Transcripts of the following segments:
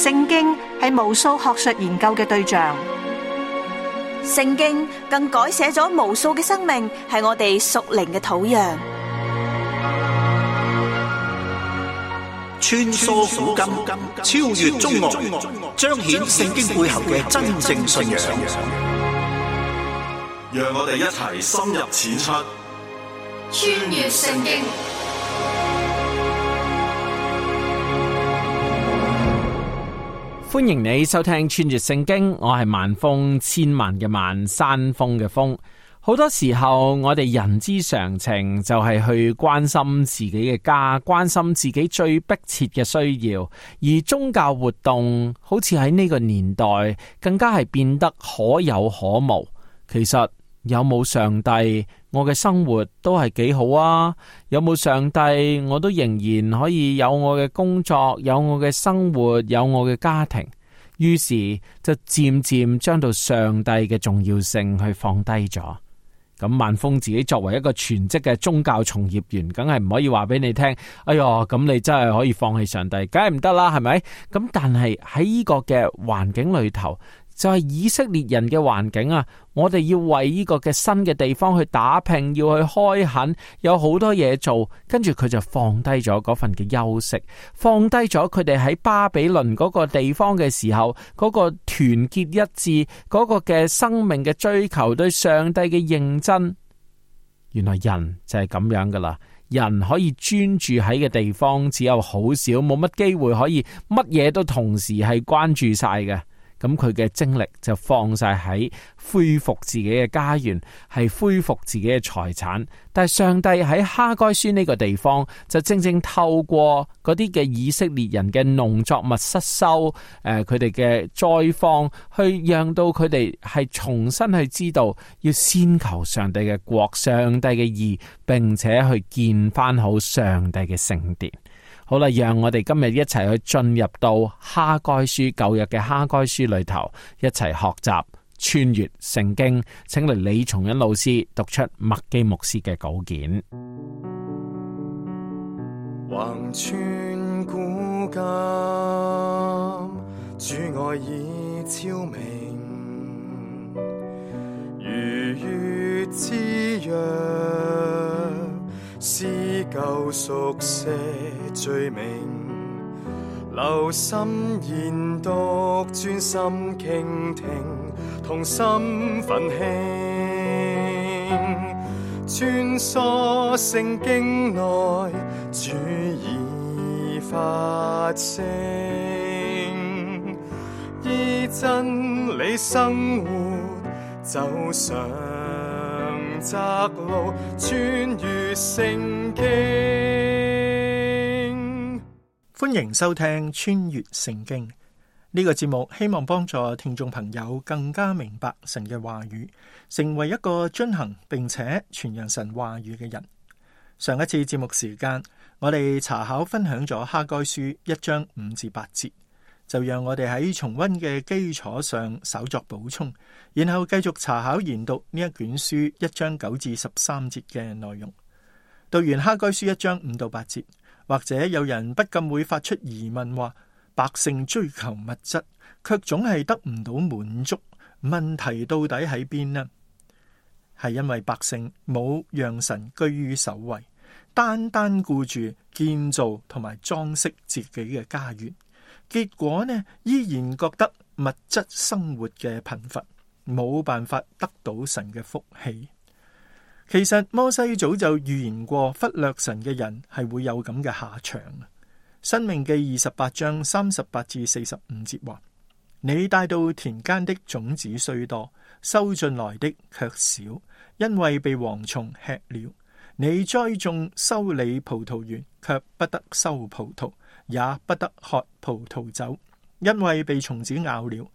聖經係無數學術研究嘅對象，聖經更改寫咗無數嘅生命，係我哋屬靈嘅土壤。穿梭古今，超越中外，彰顯聖經背後嘅真正信仰。讓我哋一齊深入淺出，穿越聖經。歡迎你收聽穿越聖經，我係萬峰，千萬嘅萬，山峰嘅峰。好多時候我哋人之常情就係去關心自己嘅家，關心自己最迫切嘅需要，而宗教活動好似喺呢個年代更加係變得可有可無。其實有冇上帝，我嘅生活都係幾好啊！有冇上帝，我都仍然可以有我嘅工作，有我嘅生活，有我嘅家庭。於是就漸漸將到上帝嘅重要性去放低咗。咁萬峰自己作為一個全職嘅宗教從業員，梗係唔可以話俾你聽，哎喲，咁你真係可以放棄上帝，梗係唔得啦，係咪？咁但係喺呢個嘅環境裏頭，就係以色列人嘅環境啊！我哋要為呢個嘅新嘅地方去打拼，要去開墾，有好多嘢做。跟住佢就放低咗嗰份嘅休息，放低咗佢哋喺巴比倫嗰個地方嘅時候嗰個團結一致，嗰個嘅生命嘅追求，對上帝嘅認真。原來人就係咁樣噶啦，人可以專注喺嘅地方只有好少，冇乜機會可以乜嘢都同時係關注晒嘅。咁佢嘅精力就放晒喺恢復自己嘅家園，係恢復自己嘅財產。但係上帝喺哈該書呢個地方，就正正透過嗰啲嘅以色列人嘅農作物失收，佢哋嘅災荒，去讓到佢哋係重新去知道，要先求上帝嘅國、上帝嘅義，並且去建翻好上帝嘅聖殿。好啦，讓我哋今日一齊去進入到哈該書，舊約嘅哈該書裏頭，一齊學習穿越聖經。請嚟李松恩老師讀出麥基牧師嘅稿件。橫穿古今，主愛已昭明，如月之約，是救贖些罪名，留心研讀，專心傾聽，同心奮興，穿梭聖經內，主已發聲，依真理生活，走上窄路，穿越聖經。歡迎收聽穿越聖經呢個節目，希望幫助聽眾朋友更加明白神嘅話語，成為一個遵行並且傳揚神話語嘅人。上一次節目時間，我哋查考分享咗哈該書1章5至8節，就讓我哋喺重溫嘅基礎上稍作補充，然後繼續查考研讀呢一卷書1章9至13節嘅內容。讀完哈該書1章5到8節，或者有人不禁會發出疑問，話百姓追求物質，卻總係得唔到滿足，問題到底喺邊呢？係因為百姓冇讓神居於首位，單單顧住建造同埋裝飾自己嘅家園，結果呢，依然覺得物質生活嘅貧乏，冇辦法得到神嘅福氣。其實摩西早就預言過，忽略神嘅人係會有咁嘅下場。申命記28章38至45節話：你帶到田間的種子雖多，收進來的卻少，因為被蝗蟲吃了。你栽種修理葡萄園，卻不得收葡萄，也不得喝葡萄酒，因為被蟲子咬了。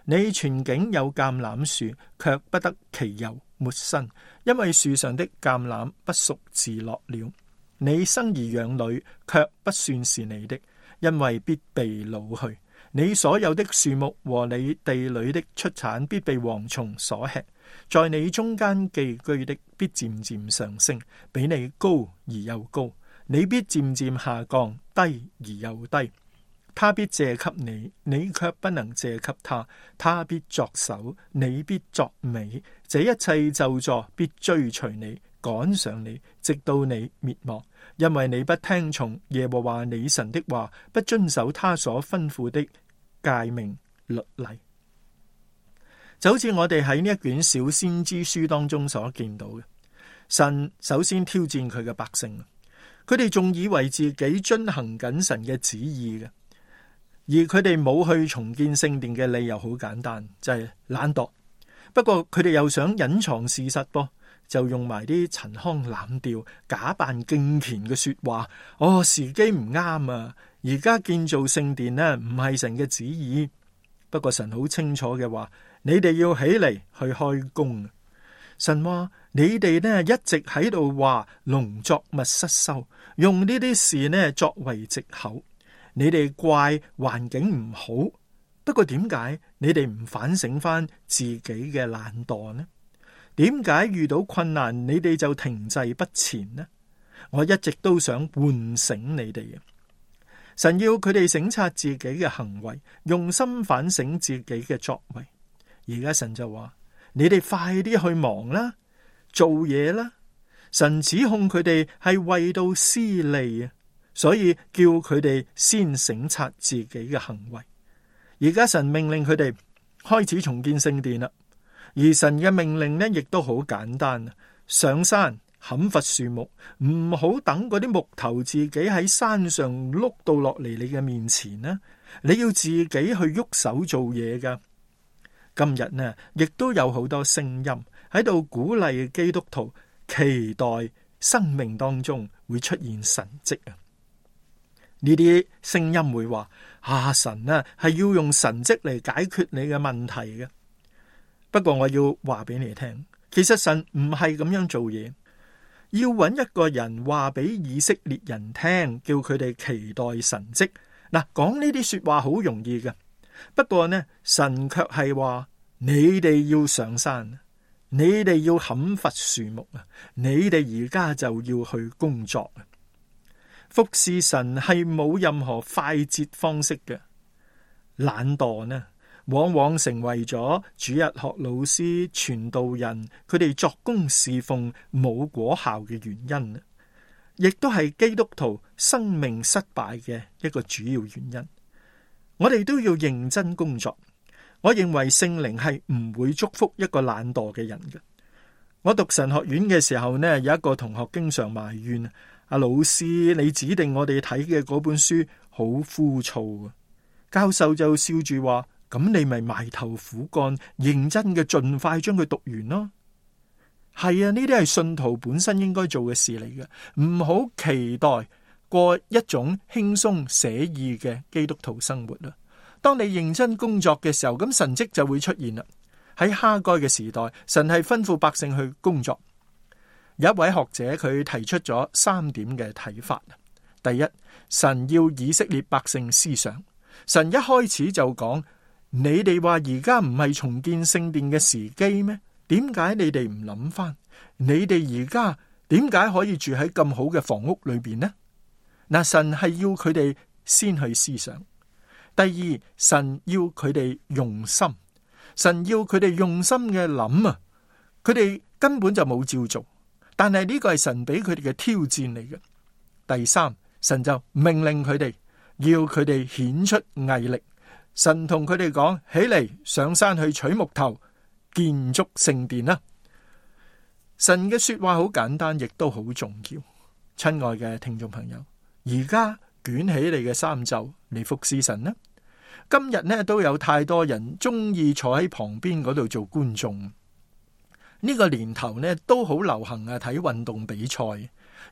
你全境有橄欖樹，卻不得其油抹身，因為樹上的橄欖不熟自落了。你生兒養女，卻不算是你的，因為必被擄去。你所有的樹木和你地裏的出產必被蝗蟲所吃。在你中間寄居的必漸漸上升，比你高而又高；你必漸漸下降，低而又低。他必借給你，你卻不能借給他。他必作首，你必作尾。這一切咒詛必追隨你，趕上你，直到你滅亡。因為你不聽從耶和華你神的話，不遵守他所吩咐的誡命律例。就好似我哋喺呢一卷小先知書當中所見到嘅，神首先挑戰佢嘅百姓，佢哋仲以為自己遵行緊神嘅旨意嘅，而佢哋冇去重建聖殿嘅理由好簡單，就係懶惰。不過佢哋又想隱藏事實噃，就用埋啲陳腔濫調、假扮敬虔嘅說話。時機唔啱啊！而家建造聖殿呢，唔係神嘅旨意。不過神好清楚嘅話，你哋要起嚟去開工。神話你哋呢一直喺度話農作物失收，用呢啲事呢作為藉口。你哋怪環境唔好，不過點解你哋唔反省翻自己嘅懶惰呢？點解遇到困難你哋就停滯不前呢？我一直都想喚醒你哋嘅。神要佢哋省察自己嘅行為，用心反省自己嘅作為。而家神就話：你哋快啲去忙啦，做嘢啦。神指控佢哋係為到私利啊，所以叫佢哋先省察自己嘅行為。而家神命令佢哋開始重建聖殿啦。而神嘅命令呢，亦都好簡單，上山砍伐樹木，唔好等嗰啲木頭自己喺山上碌到落嚟你嘅面前呢，你要自己去喐手做嘢噶。今日呢，亦都有好多聲音喺度鼓勵基督徒期待生命當中會出現神蹟啊！呢啲聲音會話：神啊，係要用神蹟嚟解決你嘅問題嘅。不過我要話俾你聽，其實神唔係咁樣做嘢，要揾一個人話俾以色列人聽，叫佢哋期待神蹟。嗱，講呢啲說話好容易嘅，不過呢，神卻係話你哋要上山，你哋要砍伐樹木啊，你哋而家就要去工作。服侍神係冇任何快捷方式嘅，懶惰呢，往往成為咗主日學老師、傳道人佢哋作工侍奉冇果效嘅原因，亦都係基督徒生命失敗嘅一個主要原因。我哋都要認真工作。我認為聖靈係唔會祝福一個懶惰嘅人嘅。我讀神學院嘅時候呢，有一個同學經常埋怨：阿老師，你指定我哋睇嘅嗰本書好枯燥啊！教授就笑住話：咁你咪埋頭苦幹，認真嘅盡快將佢讀完咯。係啊，呢啲係信徒本身應該做嘅事嚟嘅，唔好期待過一種輕鬆寫意嘅基督徒生活啦。當你認真工作嘅時候，咁神蹟就會出現啦。喺哈該嘅時代，神係吩咐百姓去工作。有一位學者佢提出咗3點嘅睇法。第一，神要以色列百姓思想。神一開始就講：你哋話而家唔係重建聖殿嘅時機咩？點解你哋唔諗翻？你哋而家點解可以住喺咁好嘅房屋裏邊呢？嗱，神係要佢哋先去思想。第二，神要佢哋用心。神要佢哋用心嘅諗啊，佢哋根本就冇照做，但係呢個係神俾佢哋嘅挑戰嚟嘅。第三，神就命令佢哋，要佢哋顯出毅力。神同佢哋講：起嚟，上山去取木頭，建築聖殿啦。神嘅說話好簡單，亦都好重要。親愛嘅聽眾朋友，而家捲起你嘅衫袖嚟服侍神啦。今日呢都有太多人中意坐喺旁邊嗰度做觀眾。呢個年頭呢都好流行啊，睇運動比賽，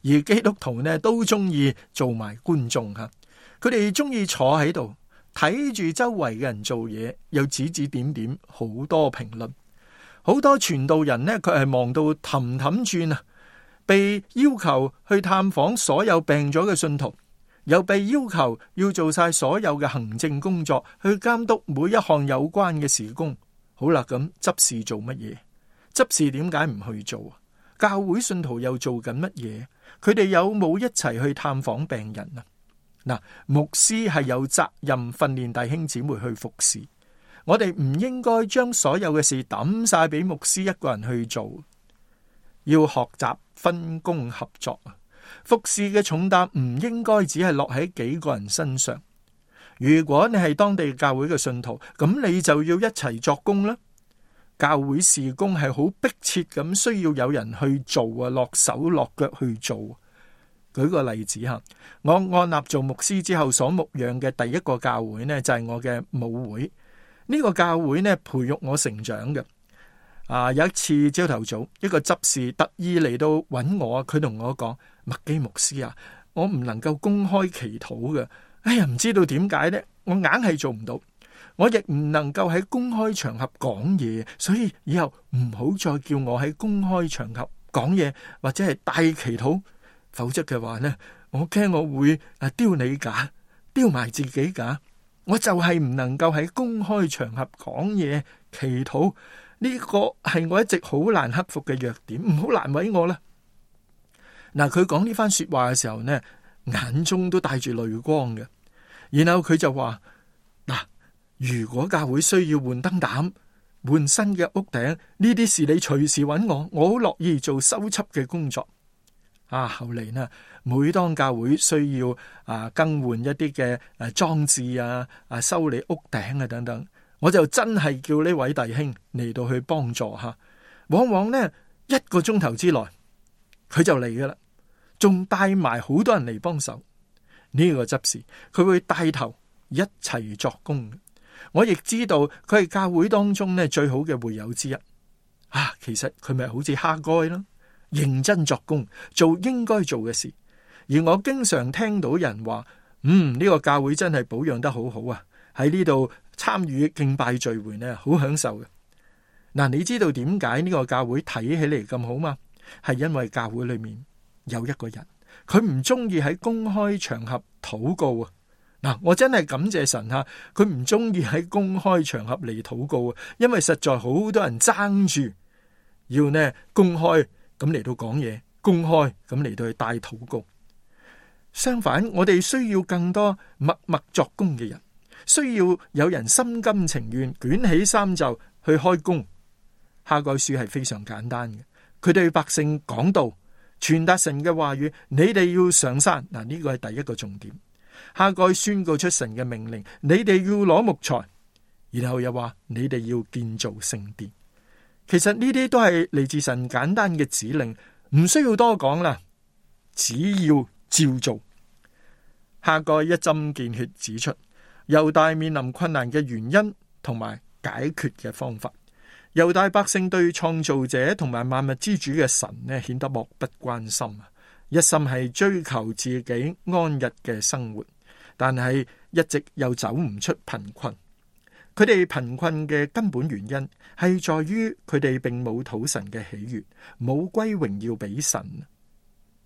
而基督徒呢都中意做埋觀眾吓。佢哋中意坐喺度睇住周圍嘅人做嘢，又指指點點，好多評論。好多傳道人呢，佢係忙到氹氹轉啊，被要求去探訪所有病咗嘅信徒。又被要求要做晒所有嘅行政工作，去監督每一項有關嘅事工。好啦，咁執事做乜嘢？執事點解唔去做啊？教會信徒又做緊乜嘢？佢哋有冇一齊去探訪病人啊？嗱，牧師係有責任訓練弟兄姊妹去服侍，我哋唔應該將所有嘅事抌晒俾牧師一個人去做，要學習分工合作。服侍嘅重擔唔應該只係落喺幾個人身上。如果你係當地教會嘅信徒，咁你就要一齊作工啦。教會事工係好迫切咁需要有人去做啊，落手落腳去做。舉個例子吓，我按立做牧師之後所牧養嘅第一個教會呢，就係我嘅母會。呢個教會呢，培育我成長嘅。有一次朝頭早，一個執事特意嚟到揾我，佢同我講：麥基牧師啊，我唔能夠公開祈禱嘅。哎呀，唔知道點解呢，我硬係做唔到。我亦唔能夠喺公開場合講嘢，所以以後唔好再叫我喺公開場合講嘢，或者係帶祈禱。否則嘅話呢，我驚我會丟你架，丟埋自己架。我就係唔能夠喺公開場合講嘢祈禱，呢個係我一直好難克服嘅弱點，唔好難為我啦。嗱，佢講呢番說話嘅時候呢，眼中都帶住淚光嘅。然後佢就話：嗱，如果教會需要換燈膽、換新嘅屋頂，呢啲事你隨時揾我，我好樂意做修葺嘅工作。後嚟呢，每當教會需要更換一啲嘅裝置修理屋頂啊等等，我就真係叫呢位弟兄嚟到去幫助吓。往往呢1個鐘頭之內佢就嚟噶啦，仲帶埋好多人嚟幫手。呢個執事佢會帶頭一齊作工。我亦知道佢係教會當中呢最好嘅會友之一。其實佢咪好似哈該咯，認真作工，做應該做嘅事。而我經常聽到人話：呢個教會真係保養得好好啊！喺呢度參與敬拜聚會呢，好享受嘅。嗱，你知道點解呢個教會睇起嚟咁好嘛？係因為教會裏面有一個人，佢唔中意喺公開場合禱告啊！嗱，我真係感謝神吓，佢唔中意喺公開場合嚟禱告啊，因為實在好多人爭住要呢公開咁嚟到講嘢，公開咁嚟到去帶禱告。相反，我哋需要更多默默作工嘅人，需要有人心甘情願捲起衫袖去開工。哈該書係非常簡單嘅，佢對百姓講道，傳達神嘅話語，你哋要上山。嗱，呢個係第一個重點。哈該宣告出神嘅命令，你哋要攞木材，然後又話你哋要建造聖殿。其實呢啲都係嚟自神簡單嘅指令，唔需要多講啦，只要照做。哈該一針見血指出猶大面臨困難嘅原因同埋解決嘅方法。猶大百姓對創造者同埋萬物之主嘅神呢，顯得漠不關心啊！一心係追求自己安逸嘅生活，但係一直又走唔出貧困。佢哋貧困嘅根本原因係在於佢哋並冇討神嘅喜悅，冇歸榮耀俾神。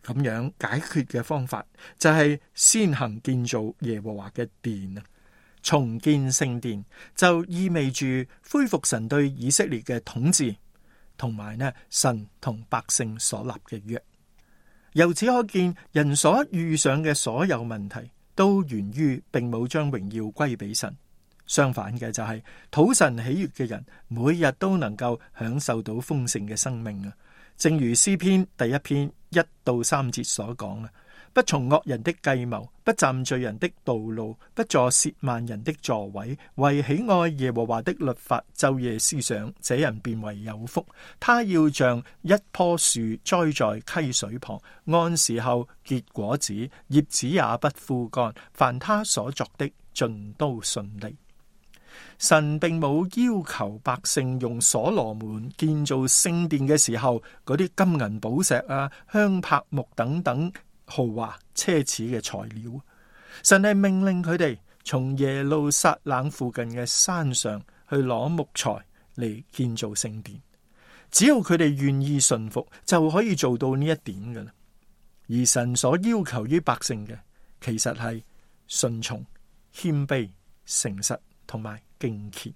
咁樣解決嘅方法就係先行建造耶和華嘅殿啊！重建聖殿就意味住恢復神對以色列嘅統治，同埋呢神同百姓所立嘅約。由此可見，人所遇上嘅所有問題都源於並冇將榮耀歸俾神。相反嘅就係討神喜悅嘅人，每日都能夠享受到豐盛嘅生命啊！正如詩篇第1篇1到3節所講啊，不從惡人的計謀，不站罪人的道路，不坐褻慢人的座位，為喜愛耶和華的律法，晝夜思想，這人便為有福。他要像一棵樹栽在溪水旁，按時候結果子，葉子也不枯乾，凡他所作的盡都順利。神並冇要求百姓用所羅門建造聖殿嘅時候嗰啲金銀寶石香柏木等等豪華奢侈嘅材料。神係命令佢哋從耶路撒冷附近嘅山上去攞木材嚟建造聖殿。只要佢哋願意順服，就可以做到呢一點㗎喇。而神所要求於百姓嘅，其實係順從、謙卑、誠實同埋敬虔。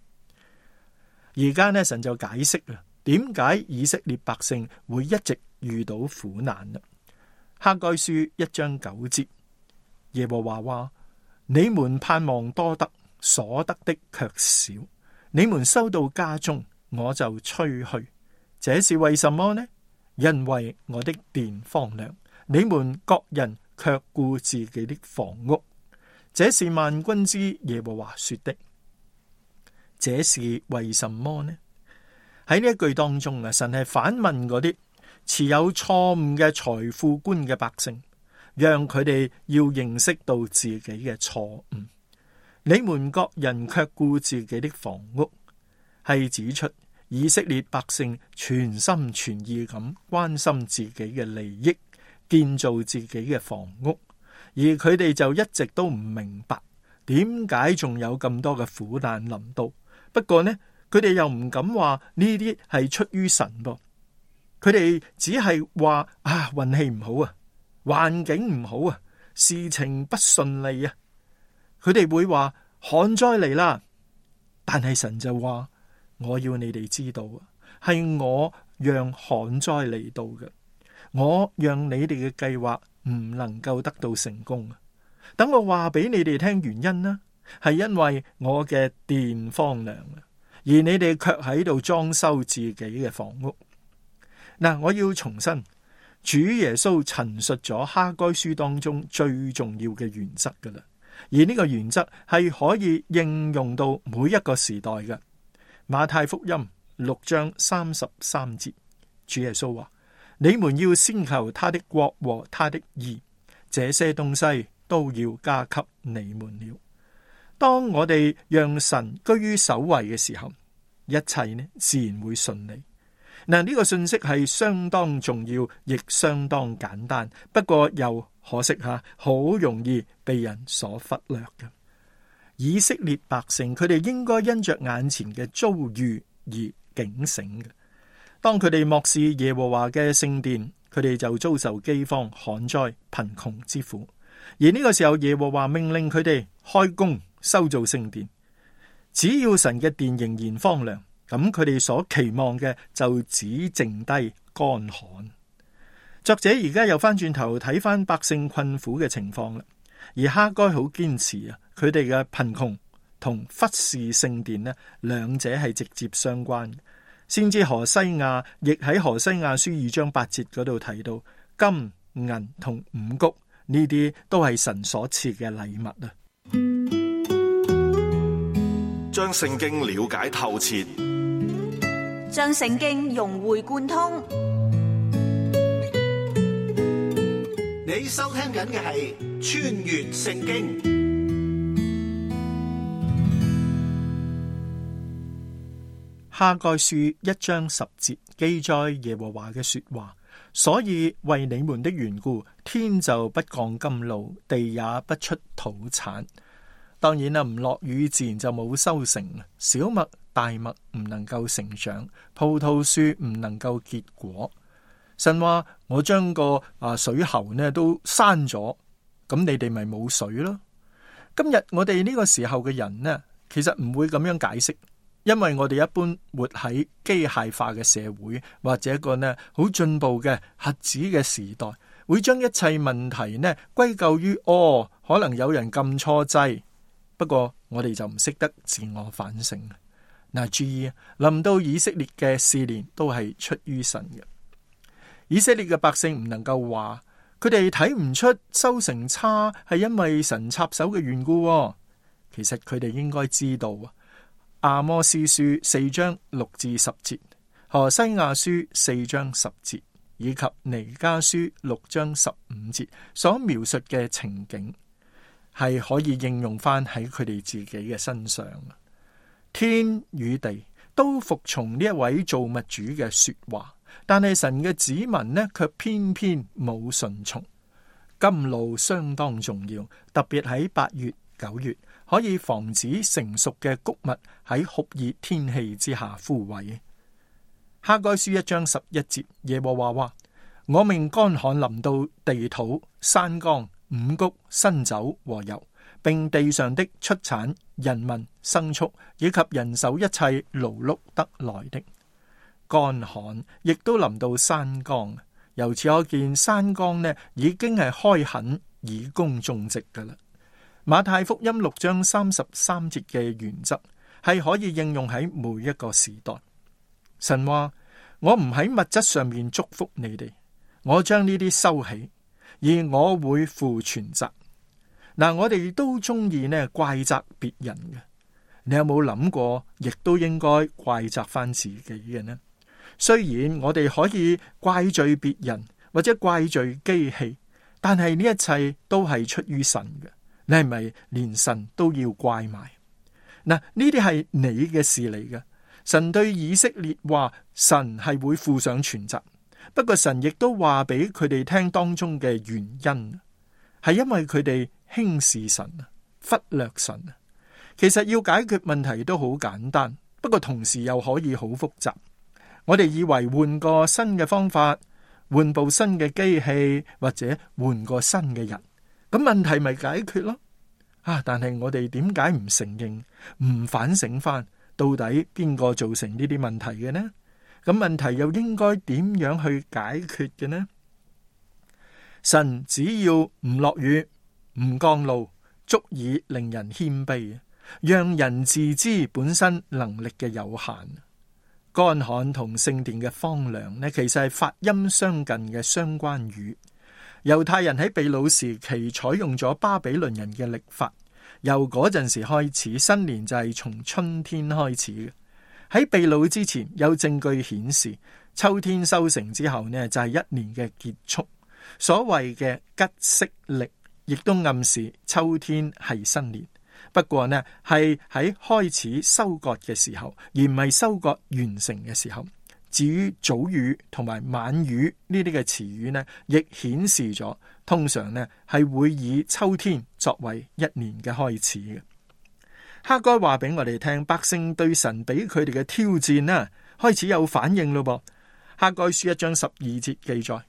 而家呢，神就解釋啦，點解以色列百姓會一直遇到苦難啦？哈該書1章9節，耶和華話：你們盼望多得，所得的卻少；你們收到家中，我就吹去。這是為什麼呢？因為我的殿荒涼，你們各人卻顧自己的房屋。這是萬軍之耶和華說的。這是為什麼呢？喺呢一句當中啊，神係反問嗰啲持有錯誤嘅財富觀嘅百姓，讓佢哋要認識到自己嘅錯誤。你們各人卻顧自己的房屋，係指出以色列百姓全心全意咁關心自己嘅利益，建造自己嘅房屋，而佢哋就一直都唔明白點解仲有咁多嘅苦難臨到。不過呢，佢哋又唔敢話呢啲係出於神噃，佢哋只係話運氣唔好啊，環境唔好啊，事情不順利啊。佢哋會話旱災嚟啦，但係神就話：我要你哋知道啊，係我讓旱災嚟到嘅，我讓你哋嘅計劃唔能夠得到成功啊。等我話俾你哋聽原因啦，係因為我嘅殿荒涼啊，而你哋卻喺度裝修自己嘅房屋。嗱，我要重申，主耶穌陳述咗哈該書當中最重要嘅原則噶啦。而呢個原則係可以應用到每一個時代嘅。馬太福音6章33節，主耶穌話：你們要先求他的國和他的義，這些東西都要加給你們了。當我哋讓神居於首位嘅時候，一切呢自然會順利。嗱，呢個信息係相當重要，亦相當簡單，不過又可惜好容易被人所忽略嘅。以色列百姓佢哋應該因着眼前嘅遭遇而警醒嘅。當佢哋漠視耶和華嘅聖殿，佢哋就遭受饑荒、旱災、貧窮之苦。而呢個時候，耶和華命令佢哋開工修造聖殿。只要神嘅殿仍然荒涼，咁佢哋所期望嘅就只剩低乾旱。作者而家又翻轉頭睇翻百姓困苦嘅情況啦，而哈該好堅持啊，佢哋嘅貧窮同忽視聖殿呢，兩者係直接相關嘅。先知何西亞亦喺何西亞書2章8節嗰度提到，金銀同五穀呢啲都係神所賜嘅禮物啊。將聖經了解透徹，將聖經融會貫通。你收聽緊嘅係穿越聖經。哈該書1章10節記載耶和華嘅說話，所以為你們的緣故，天就不降甘露，地也不出土產。當然啦，唔落雨自然就冇收成，小麥、大麥唔能夠成長，葡萄樹唔能夠結果。神話我將個水喉呢都閂咗，咁你哋咪冇水咯。今日我哋呢個時候嘅人呢，其實唔會咁樣解釋，因為我哋一般活喺機械化嘅社會，或者一個呢好進步嘅核子嘅時代，會將一切問題呢歸咎於可能有人撳錯掣。不過我哋就唔識得自我反省。嗱，注意臨到以色列嘅試煉都係出於神嘅。以色列嘅百姓唔能夠話佢哋睇唔出收成差係因為神插手嘅緣故。其實佢哋應該知道阿摩司書4章6至10節、何西亞書4章10節以及彌迦書6章15節所描述嘅情景，係可以應用翻喺佢哋自己嘅身上。天與地都服從呢一位造物主嘅說話，但係神嘅子民呢，卻偏偏冇順從。甘露相當重要，特別喺8月、9月，可以防止成熟嘅穀物喺酷熱天氣之下枯萎。哈該書1章11節，耶和華話：我命乾旱臨到地土、山岡、五穀、新酒和油，並地上的出產、人民、牲畜以及人手一切勞碌得來的。乾旱亦都臨到山岡，由此可見山岡呢已經係開墾以公種植噶啦。馬太福音6章33節嘅原則係可以應用喺每一個時代。神話，我唔喺物質上面祝福你哋，我將呢啲收起，而我會負全責。嗱，我哋都中意呢怪責別人嘅，你有冇諗過，亦都應該怪責翻自己嘅呢？雖然我哋可以怪罪別人或者怪罪機器，但係呢一切都係出於神嘅。你係咪連神都要怪埋？嗱，呢啲係你嘅事嚟嘅。神對以色列話，神係會負上全責。不過神亦都話俾佢哋聽當中嘅原因，係因為佢哋輕視神啊，忽略神啊。其實要解決問題都好簡單，不過同時又可以好複雜。我哋以為換個新嘅方法，換部新嘅機器，或者換個新嘅人，咁問題咪解決咯？但係我哋點解唔承認、唔反省翻，到底邊個造成呢啲問題嘅呢？咁問題又應該點樣去解決嘅呢？神只要唔落雨、唔降露，足以令人謙卑，讓人自知本身能力嘅有限。乾旱同聖殿嘅荒涼呢，其實係發音相近嘅相關語。猶太人喺被擄時期採用咗巴比倫人嘅曆法，由嗰陣時開始，新年就係從春天開始嘅。喺被擄之前，有證據顯示秋天收成之後呢，就係一年嘅結束。所謂嘅吉色曆亦都暗示秋天係新年。不過呢，係喺開始收割嘅時候，而唔係收割完成嘅時候。至於早雨同埋晚雨呢啲嘅詞語呢，亦顯示咗通常呢係會以秋天作為一年嘅開始嘅。哈該話俾我哋聽，百姓對神俾佢哋嘅挑戰呢，開始有反應咯噃。哈該書1章12節記載。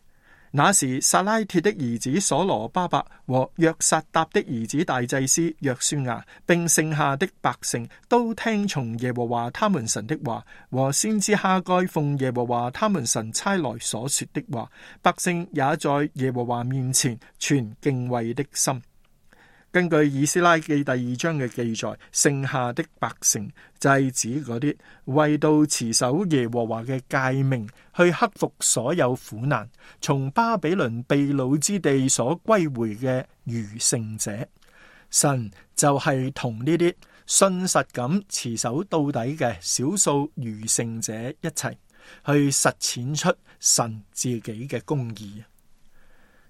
那時撒拉鐵的兒子所羅巴伯和約撒答的兒子大祭司約書亞，並剩下的百姓都聽從耶和華他們神的話，和先知哈該奉耶和華他們神差來所說的話。百姓也在耶和華面前存敬畏的心。根據以斯拉記第2章嘅記載，剩下的百姓就係指嗰啲為到持守耶和華嘅誡命，去克服所有苦難，從巴比倫被擄之地所歸回嘅餘剩者。神就係同呢啲信實咁持守到底嘅少數餘剩者一齊去實踐出神自己嘅公義。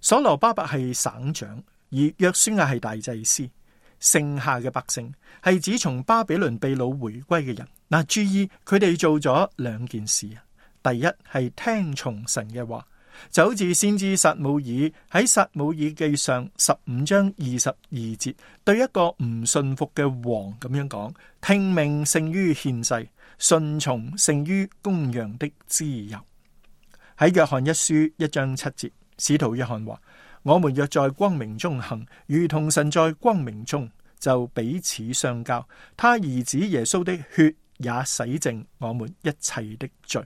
所羅巴伯係省長，而約書亞係大祭司。剩下嘅百姓係指從巴比倫被擄回歸嘅人。嗱，注意佢哋做咗兩件事啊。第一係聽從神嘅話，就好似先知撒母耳喺撒母耳記上15章22節對一個唔信服嘅王咁樣講：聽命勝於獻祭，順從勝於公羊的脂油。喺約翰一書1章7節，使徒約翰話：我們若在光明中行，如同神在光明中，就彼此相交。他兒子耶穌的血也洗淨我們一切的罪。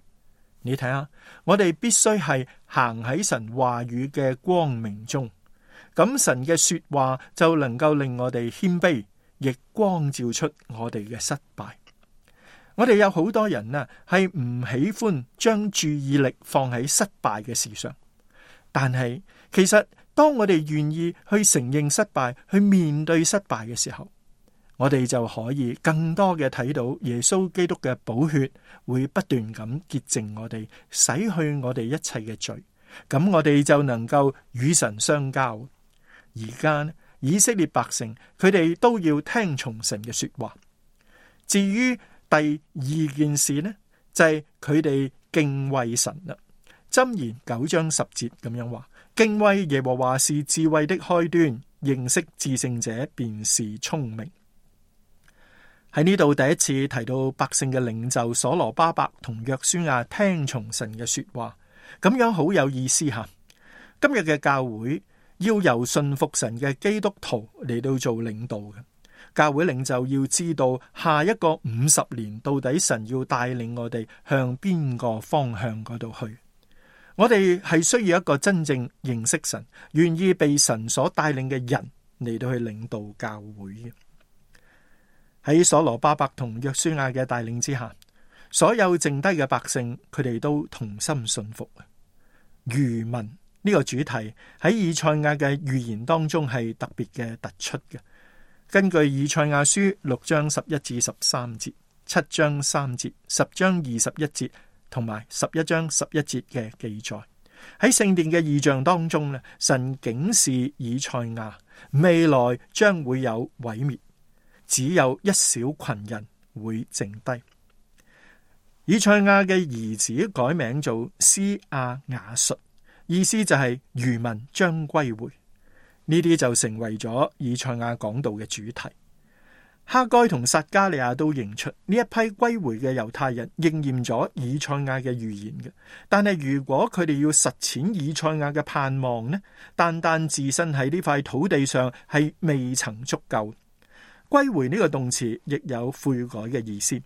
你睇下，我哋必須係行喺神話語嘅光明中，咁神嘅說話就能夠令我哋謙卑，亦光照出我哋嘅失敗。我哋有好多人啊，係唔喜歡將注意力放喺失敗嘅事上，但係其實當我哋願意去承認失敗，去面對失敗嘅時候，我哋就可以更多嘅睇到耶穌基督嘅寶血會不斷咁潔淨我哋，洗去我哋一切嘅罪，咁我哋就能夠與神相交。而家以色列百姓佢哋都要聽從神嘅說話。至於第二件事呢，就係佢哋敬畏神啦。箴言9章10節咁樣話：敬畏耶和華是智慧的開端，認識至聖者便是聰明。喺呢度第一次提到百姓嘅領袖所羅巴伯同約書亞聽從神嘅說話，咁樣好有意思吓。今日嘅教會要由信服神嘅基督徒嚟到做領導嘅，教會領袖要知道下一個50年到底神要帶領我哋向邊個方向嗰度去。我哋係需要一個真正認識神、願意被神所帶領嘅人嚟到去領導教會嘅。喺所羅巴伯同約書亞嘅帶領之下，所有剩低嘅百姓，佢哋都同心信服。餘民呢個主題喺以賽亞嘅預言當中係特別嘅突出嘅。根據以賽亞書6章11至13節、7章3節、10章21節同埋11章11節嘅記載，喺聖殿嘅異象當中咧，神警示以賽亞未來將會有毀滅，只有一小群人會剩低。以賽亞嘅兒子改名做施亞雅述，意思就係餘民將歸回。呢啲就成為咗以賽亞講道嘅主題。哈該同撒迦利亞都認出呢一批歸回嘅猶太人應驗咗以賽亞嘅預言嘅。但係如果佢哋要實踐以賽亞嘅盼望呢，單單置身喺呢塊土地上係未曾足夠。歸回呢個動詞亦有悔改嘅意思。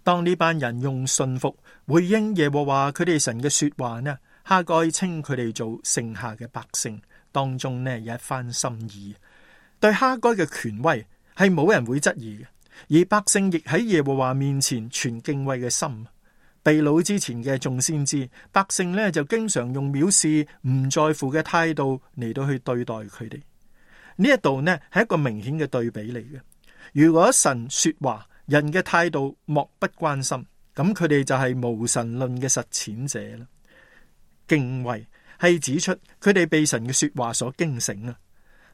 當呢班人用信服回應耶和華佢哋神嘅說話呢，哈該稱佢哋做剩下嘅百姓。當中呢有一番心意，對哈該嘅權威係冇人會質疑嘅，而百姓亦喺耶和華面前存敬畏嘅心。被擄之前嘅眾先知，百姓呢就經常用藐視、唔在乎嘅態度嚟到去對待佢哋。呢一度呢係一個明顯嘅對比嚟嘅。如果神說話，人嘅態度漠不關心，咁佢哋就係無神論嘅實踐者啦。敬畏係指出佢哋被神嘅說話所驚醒啊！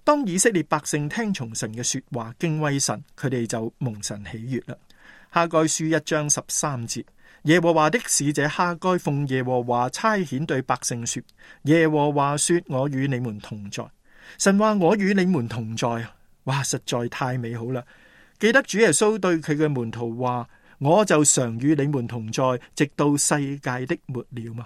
當以色列百姓聽從神嘅說話，敬畏神，佢哋就蒙神喜悅啦。哈該書1章13節，耶和華的使者哈該奉耶和華差遣對百姓說：耶和華說，我與你們同在。神話我與你們同在，哇，實在太美好啦！記得主耶穌對佢嘅門徒話：我就常與你們同在，直到世界的末了嘛。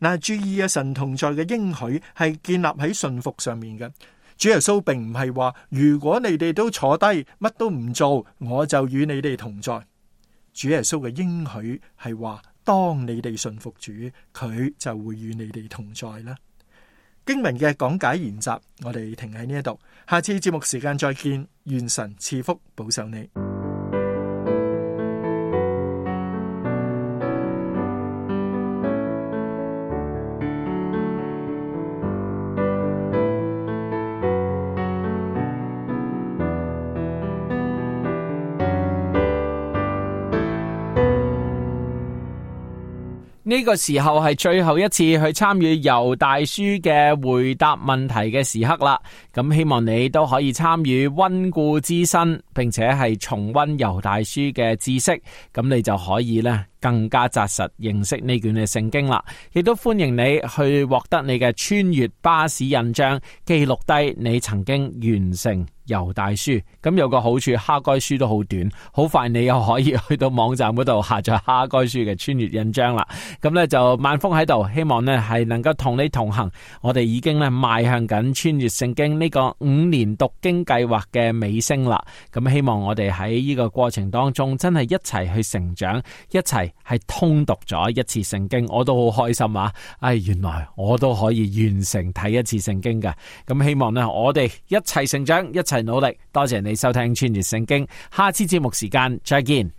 嗱，注意啊！神同在嘅應許係建立喺信服上面嘅。主耶穌並唔係話，如果你哋都坐低乜都唔做，我就與你哋同在。主耶穌嘅應許係話，當你哋信服主，佢就會與你哋同在啦。經文嘅講解研習，我哋停喺呢一度，下次節目時間再見。願神賜福保守你。呢個時候係最後一次去參與猶大書嘅回答問題嘅時刻啦，咁希望你都可以參與溫故知新，並且係重溫猶大書嘅知識，咁你就可以咧更加紮實認識呢卷嘅聖經啦。亦都歡迎你去獲得你嘅穿越巴士印章，記錄低你曾經完成猶大書。咁有個好處，哈該書都好短，好快你又可以去到網站嗰度下載哈該書嘅穿越印章啦。咁呢就萬峰喺度，希望呢係能夠同你同行。我哋已經呢邁向緊穿越聖經呢個5年讀經計劃嘅尾聲啦。咁希望我哋喺呢個過程當中真係一齊去成長，一齊係通讀咗一次聖經。我都好開心啊！原來我都可以完成睇一次聖經㗎。咁希望呢我哋一齊成長，一齊努力。多謝你收聽穿越聖經，下次節目時間再見。